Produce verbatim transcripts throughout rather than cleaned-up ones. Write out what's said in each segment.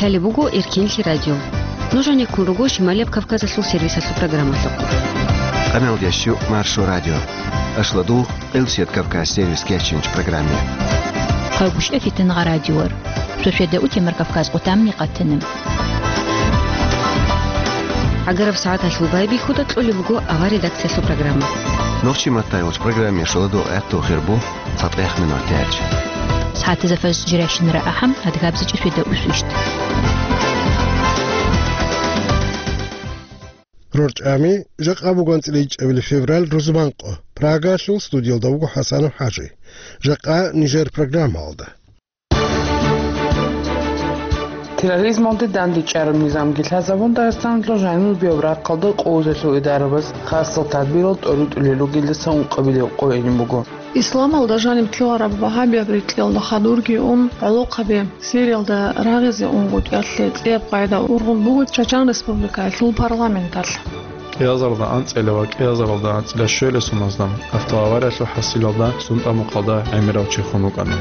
Лъалеб буго Эркенлъи радио. Нуж гьанеккун руго Шималияб Кавказалъул сервисалъул программалъухъ. Къамелдящу Маршо радио. Ашладу Элсият Кавказ сервис кечинч программе. Къагушев Фитнагъа радиор. Сосиада утемар Кавказ къутамни къатана. Агараб сагӀаталъул байбихьуда кьолеб буго авар редакциялъул программа. Нохчи Маттайолч программе шоладу гӀатту хирбу. ЦатӀехъ минуталъ. СагӀатазда фажр жирайщинара ахӀам, адгабзичӀи светаусвищ. РорчӀами, жакъа буго анцӀила ичӀабилеб февраль, рузманкъо. Прагалъул студиялда вуго ХӀасанов ХӀажи. Жакъа нижер программалда. Терроризмалде дандечӀараб низамги лъазабун, Дагъистаналъул жаниб бияб рахъалда къуваталъул идарабаз хасал тадбирал тӀоритӀулел ругелдаса ункъабилеб къо гьениб буго. Исламалда жаниб ккелараб вагьабияб рекьелда хадурги ун, гӀолохъаби Сириялда рагъизе унгутӀиялъе цӀияб къагӀида ургъун буго Чачан Республикаялъул парламенталъ. Кьиазаралда анцӀила ва кьиазаралда анцӀила щуялъ суназда автоавариялъул хӀасилалда сунтӀа-мукъалда гӀемерав чи хун вукӀана.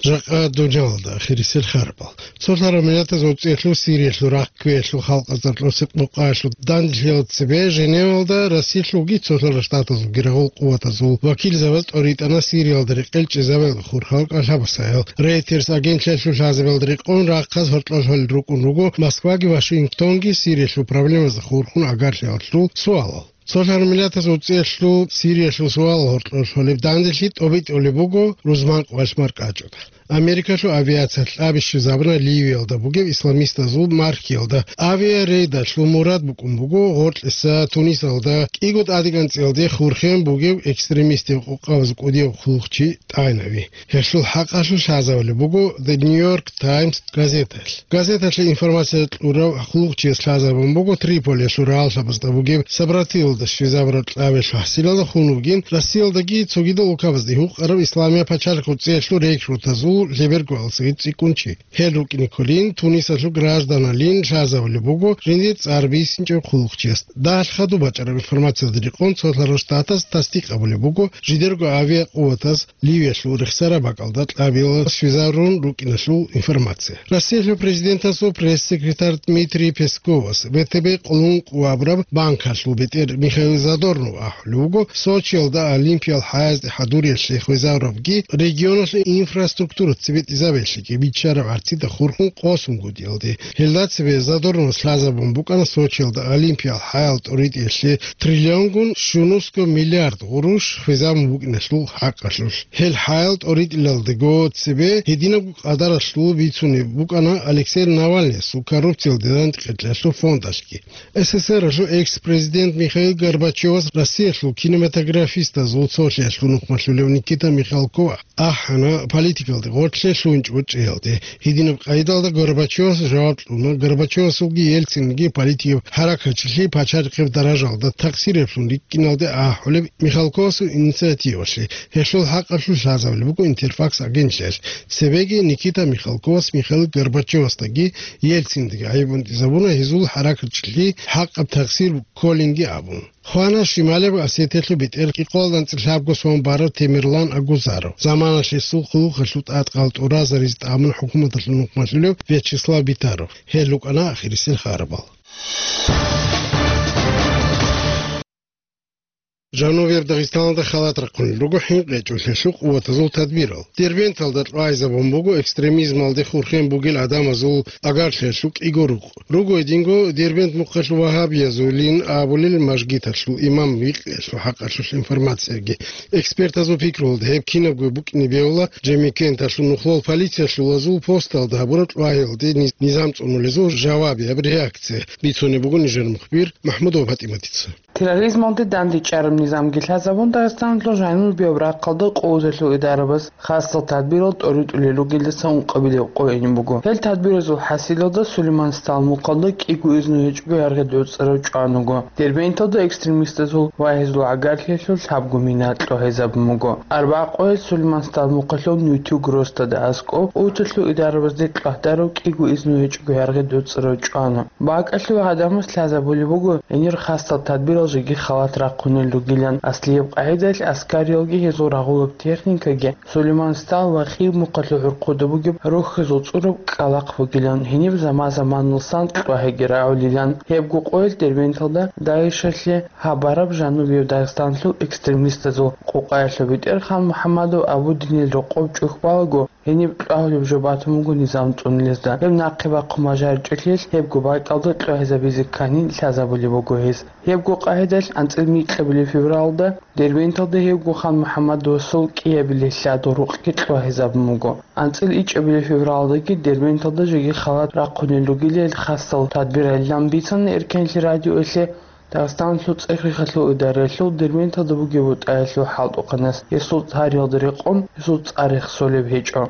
Жакъа дунялалда ахирисел харбал. Цолъараб миллатаз оцӀиялъул Сириялъул рахъ кквеялъул халкъазда росекъ-мукъаялъул данделъиялда цебе Женевалда Россиялъулги цолъарал штатазулги рагъул къуватазул вакилзабаз тӀоритӀана Сириялда рекъел чӀезабаялда хурхарал кӀалъабасаял. Рейтерс агентлъиялъул лъазабиялда рекъон рахъаз гьоркьор лъолел рукӀун руго Москваги Вашингтонги Сириялъул проблемазда хурхун агарлъиялъул суалал. Цолъарал миллатаз оцӀиялъул Сириялъул суалал гьоркьор лъолеб данделъи тӀобитӀулеб буго рузманкъоялъ маркӀачӀуда. Америкалъул авиация кьаби щвезабуна Ливиялда бугеб исламистазул маркиялда. Авиарейдалъул мурад букӀун буго гъоркьиса Тунисалда кӀиго тӀадегӀанцӀиялде хурхен бугев экстремистив къокъабаз кӀудияб хъулухъчи тӀайнави. Гьелъул хӀакъалъулъ лъазабулеб буго The New York Times газеталъ. Газеталъе информация кьурав хъулухъчияс лъазабун буго Триполиялъул рагӀаллъабазда бугеб Сабратиялда щвезабураб кьабиялъул хӀасилалда хун вугин Россиялдаги цогидал улкабазда гьукъараб Исламияб пачалихъ оцӀиялъул рекрутазул лъебергоялдасаги цӀикӀкӀун чи. Гьел рукӀине кколин Тунисалъул гражданлъин лъазабулеб буго жиндир цӀар бисинчӀев хъулухъчияс. Дагьалъ хадуб бачӀараб информациялда рекъон цолъарал штатаз тасдикъ гьабулеб буго жидерго авиакъуватаз Ливиялъул рехсараб бакӀалда кьабилал щвезарун рукӀиналъул информация. Россиялъул президентасул пресс-секретарь Дмитрий Песковас В Т Б къулун къувабураб банкалъул бетӀер Михаил Задорнов ахӀулев вуго, Сочиялда Олимпиял хӀаязде хӀадуриялъе хвезарабги регионалъул инфраструктура цебетӀизабиялъеги биччараб гӀарцида хурхун къосунгутӀиялде. Гьелда цебе Задорновас лъазабун букӀана Сочиялда Олимпиял хӀаял тӀоритӀиялъе триллионгун щунусго миллиард гъурущ хвезабун букӀиналъул хӀакъалъулъ. Гьел хӀаял тӀоритӀилалдаго цебе гьединабго къадаралъул бицунеб букӀана Алексей Навальныясул коррупциялде дандекъеялъул фондалъги. С С С Р-алъул экс-президент Михаил Горбачевас Россиялъул кинематографистазул цолъиялъул нухмалъулев Никита Михалков ахӀана политикалде гъоркьлъи лъугьинчӀого чӀеялде. Гьединаб къайдалда Горбачевас жаваб кьуна, Горбачевасулги Ельцинги политикаб хӀаракатчилъи пачарихъеб даражалда такъсиреблъун рикӀкӀиналде ахӀулеб Михалковасул инициативалъе. Гьелъул хӀакъалъулъ лъазабулеб буго Интерфакс агентлъиялъ. Цебеги Никита Михалковас Михаил Горбачевасдаги Ельциндаги гӀайиб бутӀизабуна гьезул хӀаракатчилъи хӀакъаб такъсир кколинги абун. Хвана Шималияб Осетиялъул бетӀер кӀикъоялда анцӀила лъабго сон барав Темирлан Агузаров, заманалъ гьесул хъулухъалъул тӀадкъал тӀуразаризе тӀамун хӀукуматалъул нухмалъулев Вячеслав Битаров. Гьел рукӀана ахирисел харабал. Жанубияб Дагъистаналда халат рахъунел руго хӀинкъичӀолъиялъул къуватазул тадбирал. Дербенталда тӀвайзабун буго экстремизмалде хурхен бугел гӀадамазул агарлъиялъул кӀиго рукъ. Руго гьединго Дербент мухъалъул вагьабиязулин абулел мажгиталъул имам вихъиялъул хӀакъалъулъ информацияги. Экспертазул пикруялда, гьеб кинабго букӀине бегьула Жемикенталъул нухлол полициялъулазул посталда гьабураб тӀвагьиялде низ-, низам цӀунулезул жавабияб реакция, бицунеб буго нижер мухбир МахӀмудова ПатӀиматица. Терроризмалде дандечӀараб низамги лъазабун, Дагъистаналъул жаниб бияб рахъалда къуваталъул идарабаз хасал тадбирал тӀоритӀулел ругелдаса ункъабилеб къо гьениб буго. Гьел тадбиразул хӀасилалда Сулейман СтӀал мухъалда кӀиго изну гьечӀого яргъи доцӀи-рав чӀван вуго. Дербенталда экстремистазул ва гьезул агарлъиялъул лъабго мина кьогьезабун буго. Арбагъ къоялъ Сулейман СтӀал мухъалъул нютиг росдада аскӀоб къуваталъул идарабазде кьвагьдарав кӀиго изну гьечӀого яргъи доцӀи-рав чӀвана. БакӀалъи ва гӀадамаз лъазабулеб буго гьенир хасал тадбирал жеги халат рахъунел ругилан. Аслияб къагӀидаялъ аскариялги гьезул рагъулаб техникаги Сулейман Стал ва Химухъалъул гӀурхъуда бугеб рохьизул цӀураб кӀкӀалахъ бугилан, гьениб заман-заманалсан кьвагьиги рагӀулилан. Гьебго къоялъ Дербенталда ДАИШалъе гьабараб жанубияб Дагъистанлъул экстремистазул къокъаялъул бетӀер Хан МухӀаммадов Абудинил рокъоб чӀухь балаго, гьениб кьвагьулеб жо батун буго низам цӀунулезда. Гьеб нахъе бахъун бажаричӀелъиялъ гьебго бакӀалда кьвагьизабизе кканин лъазабулеб буго гьез. Гьебго къагӀидаялъ анцӀил микьабилеб февралда Дербенталда гьевго Хан МухӀаммадовасул кӀиабилелъ лъадал рукъги кьвагьизабун буго. АнцӀил ичӀабилеб февралдаги Дербенталда жеги халат рахъунел ругилан хасал тадбиралилан бицана Эркенлъи радиоялъе Дагъистаналъул цӀех-рехалъул идараялъул Дербенталда бугеб бутӀаялъул хӀалтӀухъанас. Гьесул гьариялда рекъон гьесул цӀар рехсолеб гьечӀо.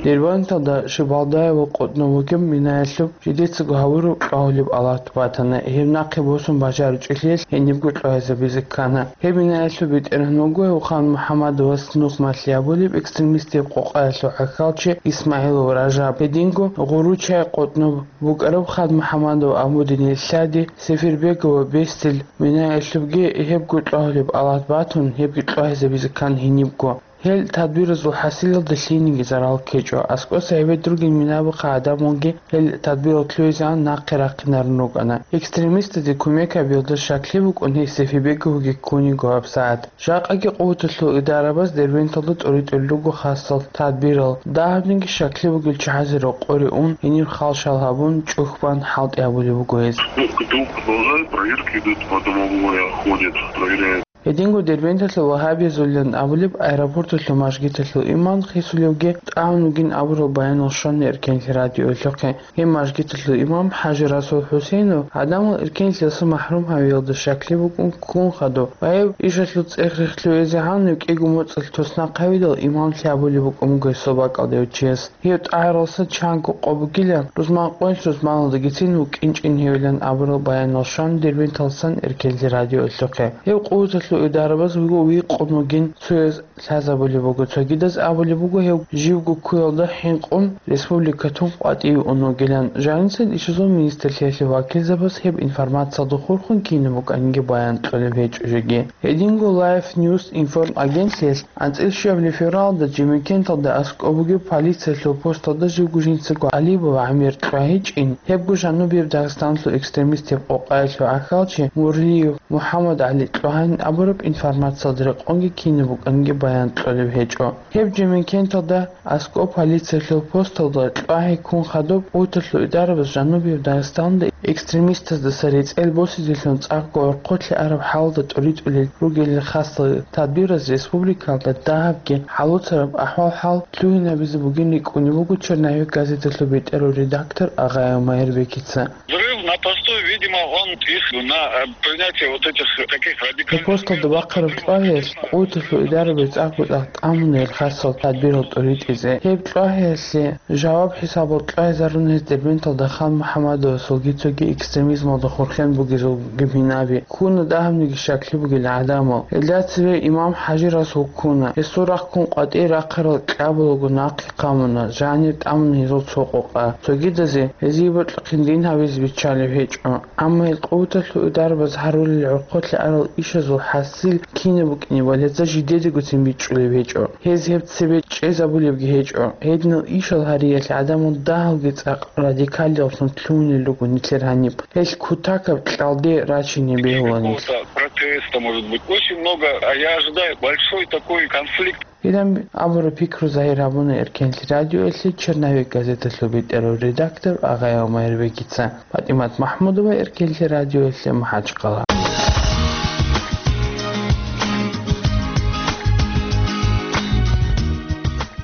Дербенталда Шибалдаева къотӀнов вугеб минаялъуб жидецаго гьавураб кьвагьулеб алат батана. Гьеб нахъе босун бажаричӀелъиялъ гьенибго кьвагьизабизе ккана. Гьеб минаялъул бетӀергьан вуго гьев Хан МухӀаммадовас нухмалъи абулеб экстремистияб къокъаялъул гӀахьалчи ИсмагӀилов Ражаб. Гьединго гъуруччай къотӀноб букӀараб Хан МухӀаммадов Абудинил лъади Сефербегова Бестил минаялъубги гьебго кьвагьулеб алат батун, гьебги кьвагьизабизе ккан гьенибго. Гьел тадбиразул хӀасилалда лъиениги зарал ккечӀо. АскӀоса гьебед ругел минабахъа гӀадамалги гьел тадбирал лъугӀизегӀан нахъе рахъинарун рукӀана. Экстремистазе кумек гьабиялда щаклъи букӀун гьей Сефербеговги ккун йиго гьабсагӀат. Жакъаги къуваталъул идарабаз Дербенталда тӀоритӀулел руго хасал тадбирал. Дагьабниги щаклъи бугел чагӀазе рокъоре ун, гьенир халшал гьабун, чӀухь бан хӀалтӀи гьабулеб буго гьез. Ну, КГТУ продолжает, проверки идут, по домовой ходят, проверяют. Гьединго Дербенталъул вагьабиязулилан абулеб аэропорталъул мажгиталъул имам хисулевги тӀагӀун вугин абурал баянал щвана Эркенлъи радиоялъухъе. Гьеб мажгиталъул имам ХӀажи Расул ХӀусейнов гӀадамал Эркенлъиялдаса махӀрум гьавиялда щаклъи букӀун ккун хадуб ва гьеб ишалъул цӀех-рех лъугӀизегӀан кӀиго моцӀалъ туснахъ гьавидал имамлъи абулеб букӀун буго гьесул бакӀалда гьев чияс. Гьев тӀагӀаралса чанго къо бугилан, рузман къоялъ рузманалдагицин вукӀинчӀин гьевилан абурал баянал щвана Дербенталдасан Эркенлъи радиоялъухъе. Гьев къуваталъул идарабаз вуго вихъун вугин цояз лъазабулеб буго, цогидаз абулеб буго гьев живго ккуялда хӀинкъун республика тун къватӀиве ун вугилан. Жанисел ишазул министрлъиялъе вакилзабаз гьеб информациялда хурхун кинаб букӀаниги баян кьолеб гьечӀо жеги. Гьединго Life News информагентлъиялъ анцӀил щуабилеб февралда Жемекенталда аскӀоб бугеб полициялъул посталда живго жинцаго Алибов ГӀамир кьвагьичӀин, гьебго жанубияб Дагъистаналъул экстремистияб къокъаялъул гӀахьалчи Мурлиев МухӀаммад ГӀали кьвагьанин абураб информациялда рекъонги кинаб букӀаниги баян кьолеб гьечӀо. Гьеб Жемекенталда аскӀоб полициялъул посталда кьвагьи ккун хадуб къуваталъул идарабаз жанубияб Дагъистаналда экстремистаздаса рецӀел босизелъун цӀакъго гӀорхъолъи араб хӀалалда тӀоритӀулел ругелил хасал тадбираз республикалда дагьабги хӀалуцараб ахӀвал-хӀал лъугьинабизе бугин рикӀкӀунеб буго «Черновик» газеталъул бетӀерав редактор Агъаев Майрбекица. Взрыв на посту, видимо, он их на, э, принятие вот этих, таких радикальных мер. Посталда бахъараб кьвагьиялъ къуваталъул идарабаз цӀакъго-цӀакъ тӀамуна гьел хасал тадбирал тӀоритӀизе. Гьеб кьвагьиялъе жаваб хӀисабалда кьвагьизарун гьез Дербенталда Хан МухӀаммадовасулги цоги экстремизмалда хурхен бугезулги минаби. Ккуна дагьабниги щаклъи бугел гӀадамал. Гьелда цеве имам ХӀажи Расул ккуна. Гьесул рахъ ккун къватӀие рахъарал кьабулаго нахъе хъамуна, жанир тӀамуна гьезул цо къокъа. Цогидазе гьезие бокьухъин дин гьабизе биччалеб гьечӀо. Амма гьел къуваталъул идарабаз гьарулел гӀорхъолъи арал ишазул хӀасил кинаб букӀинебали гьезда жидедагоцин бичӀчӀулеб гьечӀо. Гьез гьеб цебе чӀезабулебги гьечӀо. Гьединал ишал гьариялъ гӀадамал дагьалги цӀакъ радикалияллъун лъугьунел руго нилъер гьаниб. Гьел кутакаб кьалде рачине бегьула нилъ. Протеста, может быть. Очень много, а я ожидаю большой такой конфликт. Гьедин абураб пикру загьир гьабуна Эркенлъи радиоялъе «Черновик» газеталъул бетӀерав редактор Агъаев Майрбекица. ПатӀимат МахӀмудова, Эркенлъи радиоялъе, МахӀачкъала.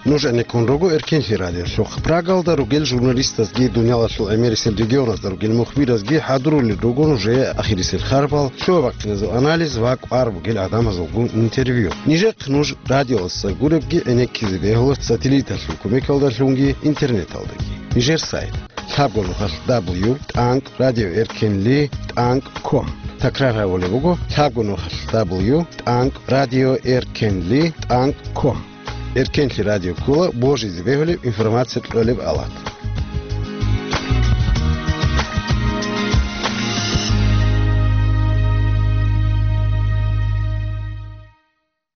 Нуж гӀенеккун руго Эркенлъи радиолъухъ. Прагалда ругел журналистазги, дуниялалъул гӀемерисел регионазда ругел мухбиразги хӀадурулел руго нужее ахирисел харбал, щуабахъиназул анализ ва кӀвар бугел гӀадамазулгун интервью. Нижехъ нуж радиоялдаса гуребги гӀенеккизе бегьула сателлиталъул кумекалдалъунги интернеталдаги. Нижер сайт: лъабго нухалъ дабл ю тӀанкӀ радио эркенли тӀанкӀ ком. Такрар гьабулеб буго: лъабго нухалъ дабл ю тӀанкӀ радио эркенли тӀанкӀ ком. Эркенлъи радио ккола божизе бегьулеб информация кьолеб алат.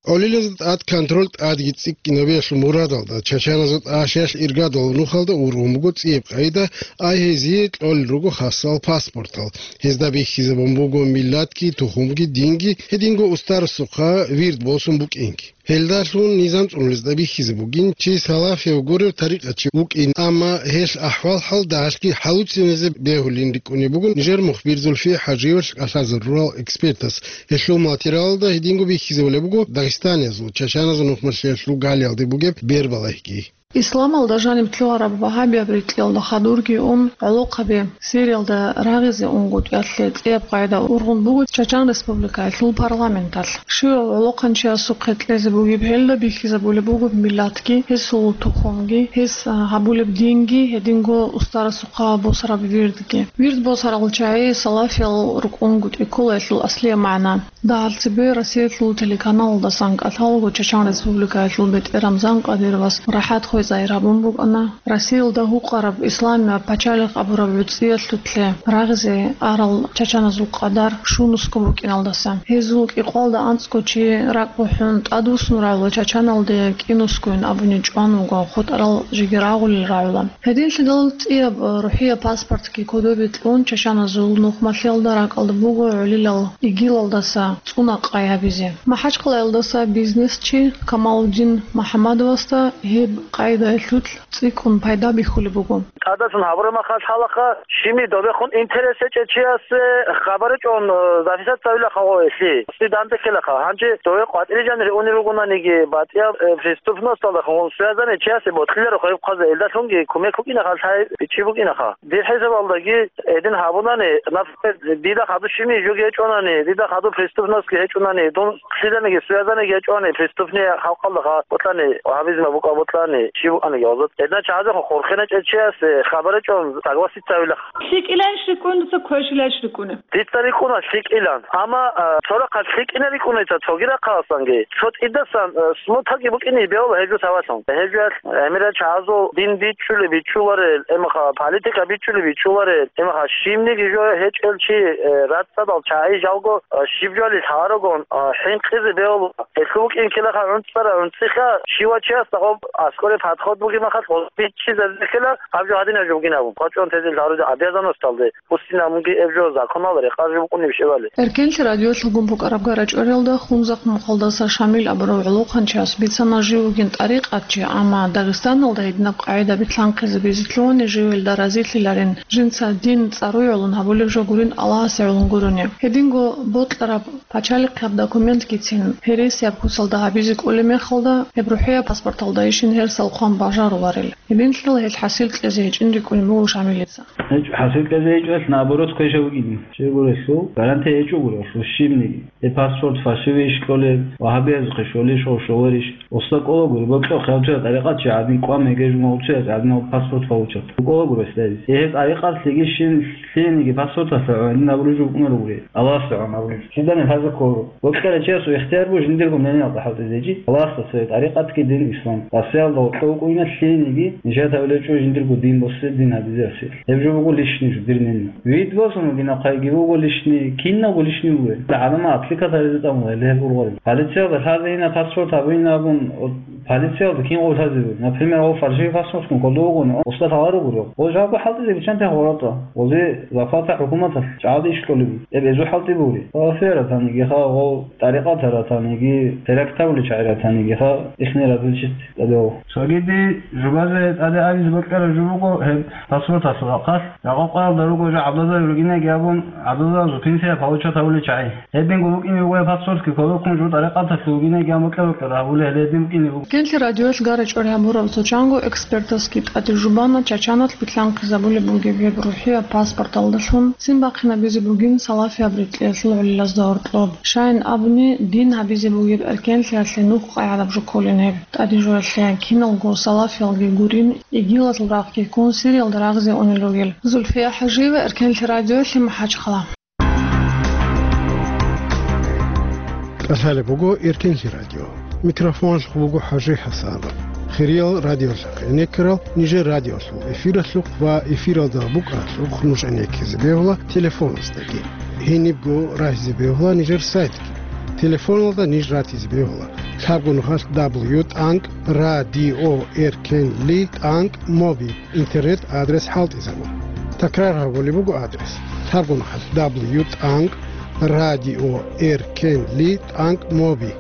ГӀолилазда тӀад контроль тӀадги цӀикӀкӀинабиялъул мурадалда, чачаназул тӀагӀашиялъ иргадал нухалда ургъун буго цӀияб къайда, ай гьезие кьолел руго хасал паспортал. Гьезда бихьизабун буго миллатги, тухумги, динги, гьединго устарасухъа вирд босун букӀинги. Гьелдалъун низам цӀунулезда бихьизе бугин, чи салафияв гурев тарикъатчи вукӀин, амма гьелъ ахӀвал-хӀал дагьалъги хӀалуцинезе бегьулин рикӀкӀунеб буго нижер мухбир Зульфия ХӀажиевалъ кӀалъазарурал экспертас. Гьелъул материалалда гьединго бихьизабулеб буго дагъистаниязул, чачаназул нухмалъиялъул галиялде бугеб бербалагьги. Исламалда жаниб лъугьараб вагьабияб рикьиялда хадурги ун, гӀолохъаби Сириялда рагъизе унгутӀиялъе цӀияб къайда ургъун буго Чачан Республикаялъул парламенталъ. Щивав гӀолохъанчиясухъе кьезе бугеб гьелда бихьизабулеб буго миллатги, гьесул тухумги, гьес, а, гьабулеб динги, гьединго устарасухъа босараб вирдги. Вирд босарал чагӀи салафиял рукӀунгутӀи ккола гьелъул аслияб магӀна. Дагьал цебе Россиялъул телеканалалдасан кӀалъалаго Чачан Республикаялъул бетӀер Рамзан Кадыровас рахӀат хвезайир гьабун букӀана, Россиялда гьукъараб исламияб пачалихъ абураб гӀуцӀиялъулъе рагъизе арал чачаназул къадар щунусго букӀиналдаса. Гьезул кӀикъвалда анцӀго чи ракӀ бухӀун тӀадвуссун рагӀула, чачаналде кӀинусгойин абуни чӀван вуго, хутӀарал жеги рагъулел рагӀула. Гьединлъидал цӀияб рухӀияб паспортги кодобе кьун, чачаназул нухмалъиялда ракӀалда буго гӀолилал ИГИЛалдаса цӀуна къай гьабизе. МахӀачхъалаялдаса бизнесчи Камалудин МухӀаммадовасда гьеб къайдаялъулъ цӀикӀкӀун пайда бихьулеб буго. ТӀадасан гьабураб махалъ гьалаха, щибни добехун интерес гьечӀев чиясе хабар гьечӀон, э, записаться гьавилаха гъо гьелъи. Свидание ккелаха. Гьанже дове къватӀире жанире унел ругонаниги, батӀияб, э, преступносталдахун связанный чиясе бокьиларо гьеб хъвазе, элдалъунги кумек букӀинаха, лъай бичи букӀинаха. Дир хӀисабалдаги гьедин гьабунани, например, дида хадуб щибни жуги гьечӀонани, дида хадуб преступностьги гьечӀонани, дун лъиданиги связанный гьечӀони, преступный халкъалда ха-, ботлъани, гьабизма букӀа ботлъани, чи букӀаниги гьазат. Гьедна чагӀазехун хурхиначӀев чиясе хабар гьечӀон согласиться гьавилаха. ЛъикӀилайищ рикӀкӀуна, дуца квешлъилайищ рикӀкӀуна? Дица рикӀкӀуна лъикӀилан. Амма, а, цо рахъалъ лъикӀина рикӀкӀуна дица цоги рахъаласанги. Цо тӀидасан, а, смутаги букӀине бегьула гьеб жо тавалъун. Гьеб жо гӀемерал чагӀазул дин бичӀчӀулеб бичӀчӀуларел, эмаха политика бичӀчӀулеб бичӀчӀуларел, эмаха щибниги жо гьечӀел чи, э, рацӀцӀадал чагӀи жалго, а, щиб жоали лъаларогун, а, хӀинкъизе бегьула. Гьелъул букӀин ккелаха гӀунцӀара гӀунцӀиха, щивав чиясда гъоб аскӀоре подход бугеб махалъ гъоб бичӀчӀизаб бихьила, гьаб жо гьадинаб жо бугин абун. КъвачӀун тезе лъаруде гӀадиязаносдалде. Пустинабунги эб жо законалда рекъараб жо букӀунеб щибали. Эркенлъи радиолъ гьабун букӀараб гарачӀориялда Хунзахъ мухъалдаса Шамил абурав гӀолохъанчияс бицана жив вугин тӀарикъатчи, амма Дагъистаналда гьединаб къагӀида битлъанхъизабизе лъугьани живелда разилъиларин, жинца дин цӀаруй гӀолун гьабулеб жо гурин Аллагьасе гӀолун гурони. Гьединго бокьараб пачалихъияб документгицин гьересияб куцалда гьабизе кӀолеб мехалда, гьеб рухӀияб паспорталдайищин гьерсал хъван бажаруларел. Гьединлъидал гьелъ хӀасил кьезе гьечӀин рикӀкӀунеб буго Шамилица. ГьечӀо, хӀасил кьезе гьечӀо, гьелъ наоборот квеша вугин. Щайгурелъул гарантия гьечӀогурелъул щибниги. Гьеб паспорт фальшивейищ кьолеб, вагьабиязухъе щолищ, гъов щоларищ. Устар кӀолагури, бокьа хъявцуя тӀарикъатчи гӀадин кӀван мегежун гъовцуяс гӀадин гьаб паспорт получат. КӀолагури гьесда гьез. Гьеб тӀарикъат лъигищин лъиениги паспорталъа гӀадин абулеб жо букӀунаро гури. Аллагьасда гӀадин абулеб жо. Киданиги лъазе ккола. Бокьарав чиясул ихтияр буго жиндирго мнениялда хӀалтӀизе чи. Аллагьасда цеве тӀарикъатги дин ислам. Расиялда гъоркье вукӀуна лъиениги, нижер тавилечӀо жиндирго дин босе дин гьабизе Расиялъ. Гьеб жо буго личный жо, дир мнение. Вид босун вугин ахъайги буго личный, кинабго личный буго. ГӀадамал отвлекать гьаризе тӀамула гьеле гьеб ургъарил. Полициялда лъазейина паспорт гьабуйин абун, о, полициялда кин гъов лъазе буго. Например, гъов фальшивый паспортккун кодов вугони, устар гьалар ругурев. Гъов жавабго хӀалтӀизе биччанте гъоратӀа. Гъозе зарплата хӀукуматалъ чӀалде иш кьолеб. Эб гьезул хӀалтӀи бугури. Салафияр ратаниги ха, гъов тӀарикъатар ратаниги, терактабулел чагӀи ратаниги ха, ихни разилчит тӀадегӀав. Цогиди жубазе тӀаде абизе бокьараб жо буго гьеб паспорталъул рахъалъ. Рагъа къоялда руго жо гӀадазаби ругинеги абун, гӀадазазул пенсия получат гьавулел чагӀи. Гьединго букӀине буго гьеб паспортги кодобккун жо тӀарикъаталъул ругинеги абун бокьа-бокьараб гьабулел гьеле гьедин букӀине буго. Кенлъи радиоялъ гарачӀори гьабураб цо чанго экспертасги тӀаде жубана чачаналъ битлъанхъизабулеб бугеб гьеб рухӀияб паспорталдалъун цин бахъинабизе бугин салафияб рикьиялъул гӀолилазда гьоркьоб. Щайин абуни, дин гьабизе бугеб эркенлъиялъе нух къайгӀадаб жо кколин гьеб. ТӀаде жоялъе киналго салафиялги гурин, игилалъул рахъги ккун Сириялда рагъизе унел ругел. Зульфия ХӀажиева, Эркенлъи радиоялъе, МахӀачхъала. КӀалъалеб буго Эркенлъи радио. Микрофоналъухъ буго ХӀажи ХӀасанов. Хириял радиолъухъ гӀенеккарал нижер радиолъул эфиралъухъ ва эфиралда букӀаралъухъ нуж гӀенеккизе бегьула телефоназдаги. Гьенибго рагьизе бегьула нижер сайтги. Телефоналда ниж ратизе бегьула: лъабго нухалъ дабл ю тӀанкӀ радио эркенли тӀанкӀ моби интернет адрес хӀалтӀизабун. Такрар гьабулеб буго адрес: лъабго нухалъ дабл ю тӀанкӀ радио эркенли тӀанкӀ моби.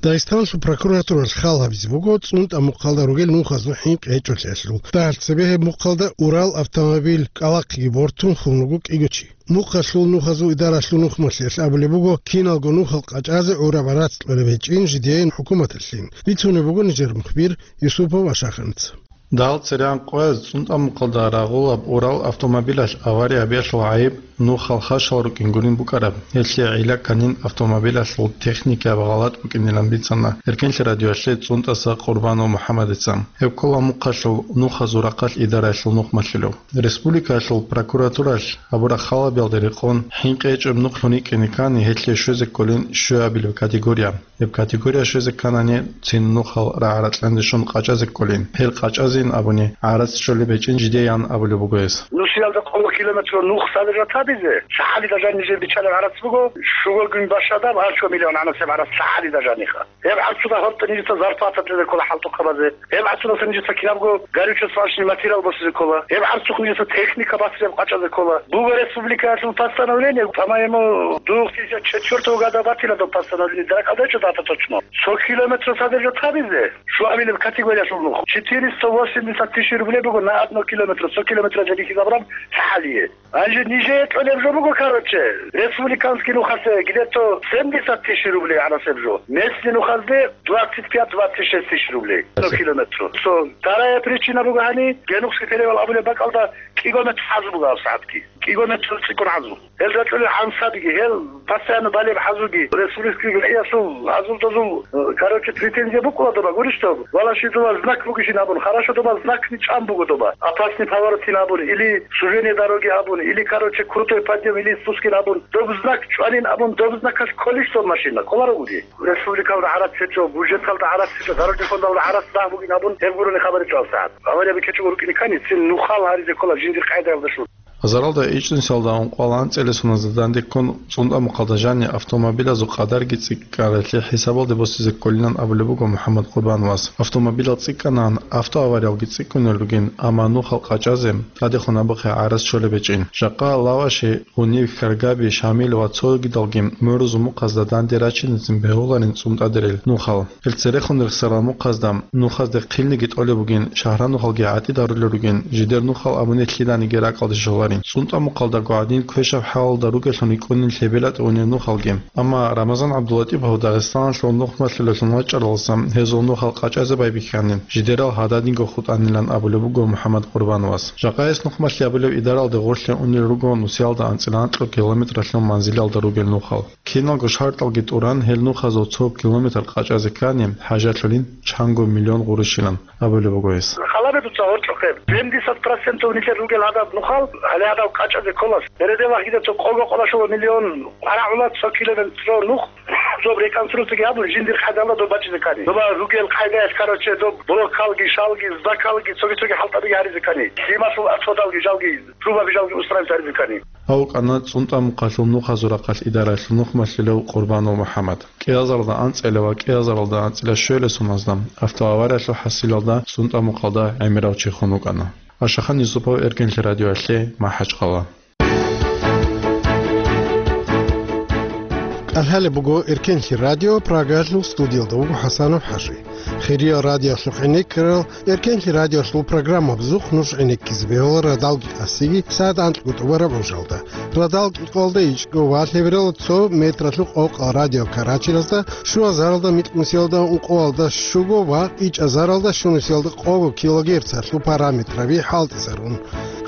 Дагъистаналъул прокуратуралъ хал гьабизе буго ЦӀунтӀа мухъалда ругел нухазул хӀинкъи гьечӀолъиялъул. Дагьал цебе гьеб мухъалда Урал автомобиль кӀкӀалахъеги бортун хун руго кӀиго чи. Мухъалъул нухазул идаралъул нухмалъиялъ абулеб буго киналго нухал къачӀазе гӀураб гӀарац кьолеб гьечӀин жидеян хӀукуматалъин. Бицунеб буго нижер мухбир Юсупов Ашаханца. Дагьал церегӀан къояз ЦӀунтӀа мухъалда рагъулаб Урал автомобилалъ авария гьабиялъул гӀайиб нухал хашал рукӀин гурин букӀараб. Гьелъие гӀилла кканин автомобилалъул техникаяб гъалатӀ букӀинилан бицана Эркенлъи радиоялъе ЦӀунтӀаса Къурбанов МухӀаммадица. Гьеб ккола мухъалъул нухазул рахъалъ идараялъул нухмалъулев. Республикаялъул прокуратуралъ гьабураб хал гьабиялда рекъон хӀинкъи гьечӀеб нухлъун рикӀкӀине ккани, гьелъие щвезе кколин щуябилеб категория. Гьеб категория щвезе кканани, цин нухал рагӀа-ракьанде щун къачӀазе кколин. Гьел къачӀазейин абуни, гӀарац щолеб гьечӀин жидеян абулеб буго гьес. Нусиялда къого километр нух садержать гьабизе, лъагӀалида жанни жер биччалеб гӀарац буго, щуго гун бащадаб, гьарчо миллион гӀанасеб гӀарац лъагӀалида жаниха. Гьеб гӀарцуда гьоркье нижеца зарплата кьезе ккола хӀалтӀухъабазе. Гьеб гӀарцудаса нижеца кинабго горюче-свалочный материал босизе ккола. Гьеб гӀарцухъ нижеца техника басизе къачӀазе ккола. Буго республикаялъул постановление, по-моему, две тысячи четвёртого года батила доб постановление, дуракал дечӀо дата точно. Цо километр садержать гьабизе, щуабилеб категориялъул нух, четыреста восемьдесят тысяч рублей буго на одно километр, цо километр жеги хизабраб лъагӀалие. Гьанже нижее кьолеб жо буго, короче, республиканский нухалъе где-то семьдесят тысяч рублей гӀанасеб жо, местный нухазде двадцать пять, двадцать шесть тысяч рублей на километр. Цо тарая причина буго гьани, Генухский перевал абулеб бакӀалда кӀиго метр гӀазу буго гьабсагӀатги. КӀиго метр цӀикӀкӀун гӀазу. Гьел рачӀунел гӀансабиги, гьел постоянно балеб гӀазуги, республикаялъул гӀазул-дозул, э, короче, претензия букӀула доба, гурищ доб? Валаши, доба знак бугищин абун, хорошо, доба знакни чӀан буго доба. Опасный поворотин абун, или сужение дороги абун, или, короче, крутой подъем, или спускин абун, доб знак чӀванин абун, доб знакалъ кколищ доб машина? Кколаро гури. Республикалда гӀарац гьечӀо, бюджеталда гӀарац гьечӀо, дорожный фондалда гӀарац дагь бугин абун, гьеб гурони хабар гьечӀо гьабсагӀат. Аварияби ккечӀого рукӀине ккани, цин нухал гьаризе ккола жиндир къайдаялда щун. Азаралда ичӀнусиялда ункъоялда анцӀила соналда данде ккун, ЦӀунтӀа мухъалда жаниб автомобилазул къадарги цӀикӀкӀаралъе хӀисабалде босизе кколилан абулеб буго МухӀаммад Къурбановас. Автомобилал цӀикӀкӀанан, автоавариялги цӀикӀкӀунел ругин, амма нухал къачӀазе тӀадехун абухъе гӀарац щолеб гьечӀин. Жакъа Лаваши, Гъуниб, Хьаргаби, Шамил ва цогидалги мурузул мухъазда данде рачиназин бегьуларин цӀунтӀадерил нухал. Ил церехун рехсарал мухъазда нухазде хъилниги тӀолеб бугин, шагьранухалги гӀатӀидарулел ругин, жидер нухал абуни лъиданиги ракӀалде щоларин. ЦӀунтӀа мухъалдаго гӀадин квешаб хӀалалда ругелъун рикӀкӀунин лъебелатӀи унел нухалги. Амма Рамазан ГӀабдуллатӀипов Дагъистаналъул нухмалъулелъун вачӀаралдаса гьезул нухал къачӀазе байбихьанин, жидерал гьададинго хутӀанилан абулеб буго МухӀаммад Къурбановас. Жакъа гьес нухмалъи абулеб идаралде гъорлъе унел руго нусиялда анцӀила анкьго километралъул манзилалда ругел нухал. Киналго шартӀалги тӀуран, гьел нухазул цо километр къачӀазе ккани, хӀажатлъулин чанго миллион гъурущилан абулеб буго гьес. Халабе дуца гьоркьохъеб. Семьдесят процентов нилъер ругел гьадаб нухал, гьале гьадаб къачӀазе ккола. Переделах гьидаб цо къого къолашула миллион къварагӀула цо километр нух, доб реконструкцияги гьабун, жиндир къайдалда доб бачӀизе ккани. Доба ругел къайдаялъ, короче, доб блокалги, шалги, здакалги, цоги-цоги хӀалтӀабиги гьаризе ккани. Лъималъул асфальталги жалги, трубаби жалги устраивать гьаризе ккани. Гьав вукӀана ЦӀунтӀа мухъалъул нухазул рахъалъ идараялъул нухмалъулев Къурбанов МухӀаммад. КӀиазаралда анцӀила ва кӀиазаралда анцӀила щуялъул соналда автоавариялъул хӀасилалда ЦӀунтӀа мухъалда гӀемерав чи хун вукӀана. Ашахан Юсупов, Эркенлъи радиоялъе, МахӀачхъала. КӀалъалеб буго Эркенлъи радио, Прагалъул студиялда вуго ХӀасанов ХӀажи. Хириял радиоялъухъ гӀенеккарал, Эркенлъи радиоялъул программа бузухъ нуж гӀенеккизе бегьула радалги къасиги сагӀат анкьго тӀубараб гӀужалда. Радал кӀикъоялда ичӀго ва лъебералда цо метралъул къокъал радио Карачилазда, щуазаралда микь нусиялда ункъоялда щуго ва ичӀазаралда щунусиялда къого килогерцалъул параметраби хӀалтӀизарун.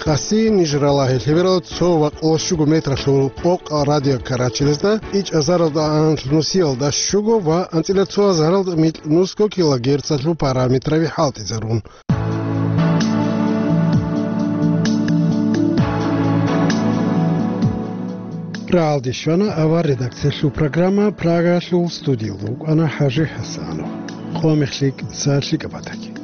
Къаси ниж ралагье лъебералда цо ва къоло щуго метралъул къокъал радио Карачилазда, ичӀазаралда анлъ нусиялда щуго ва анцӀила цоазаралда микь нусго килогерцалъул параметраби хӀалтӀизарун. Рагьалде щвана авар редакциялъул программа, Прагалъул студиялда вукӀана ХӀажи ХӀасанов. Къо-мех лъикӀ, сагӀат лъикӀаб батаги.